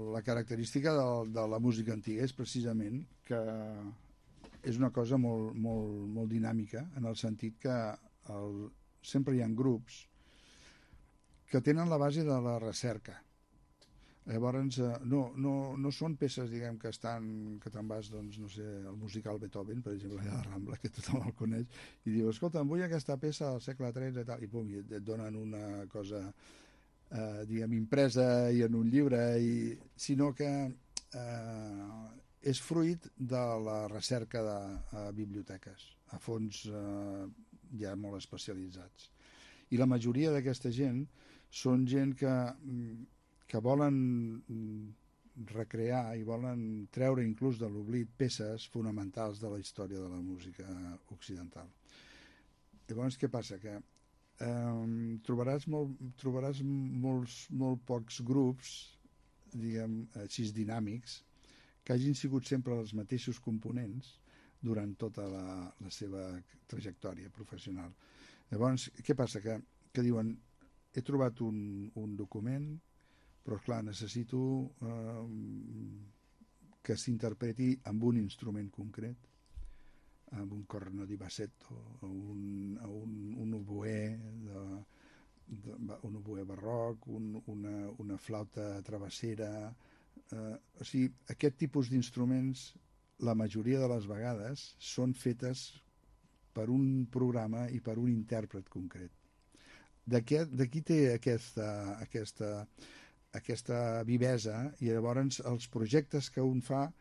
La característica de la música antiga és precisament que és una cosa molt dinàmica, en el sentit que sempre hi ha grups que tenen la base de la recerca. Llavors, no són peces, diguem, que te'n vas, doncs, no sé, el musical Beethoven, per exemple, allà a la Rambla, que tothom el coneix, i diu, escolta, em vull aquesta peça del segle XIII i tal, i pum, i et donen una cosa, diguem, impresa i en un llibre, sinó que és fruit de la recerca de biblioteques, a fons ja molt especialitzats. I la majoria d'aquesta gent són gent que volen recrear i volen treure inclús de l'oblit peces fonamentals de la història de la música occidental. Llavors, què passa? Que trobaràs molt pocs grups, diguem, així dinàmics, que hagin sigut sempre els mateixos components durant tota la seva trajectòria professional. Llavors, què passa? Que diuen, he trobat un document, però clar, necessito que s'interpreti amb un instrument concret, amb un corno di bassetto, un oboè, un oboè barroc, una flauta travessera. O sigui, aquest tipus d'instruments, la majoria de les vegades, són fetes per un programa i per un intèrpret concret. D'aquí té aquesta vivesa, i llavors els projectes que un fa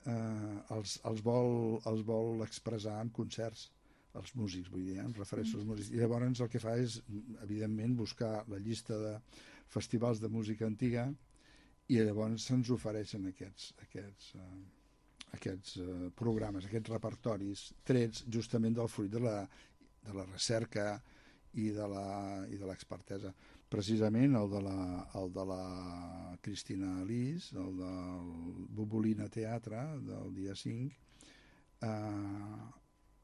els vol expressar en concerts, els músics, vull dir, em refereixo als músics, i llavors el que fa és, evidentment, buscar la llista de festivals de música antiga, i llavors se'ns ofereixen aquests programes, aquests repertoris trets justament del fruit de la recerca i de l'expertesa. Precisament el de la Cristina Alice, el del Bubolina Teatre del dia 5,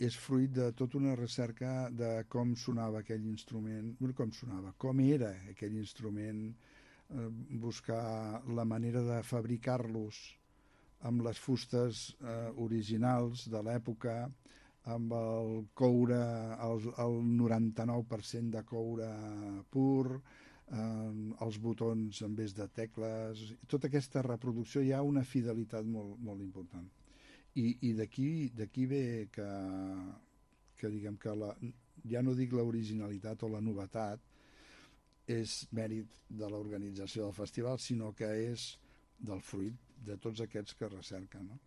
és fruit de tota una recerca de com sonava aquell instrument, com era aquell instrument, buscar la manera de fabricar-los amb les fustes originals de l'època, amb el coure, el 99% de coure pur, els botons en vez de tecles, tota aquesta reproducció, hi ha una fidelitat molt important. I d'aquí ve que diguem que ja no dic l'originalitat o la novetat és mèrit de l'organització del festival, sinó que és del fruit de tots aquests que recerquen, no?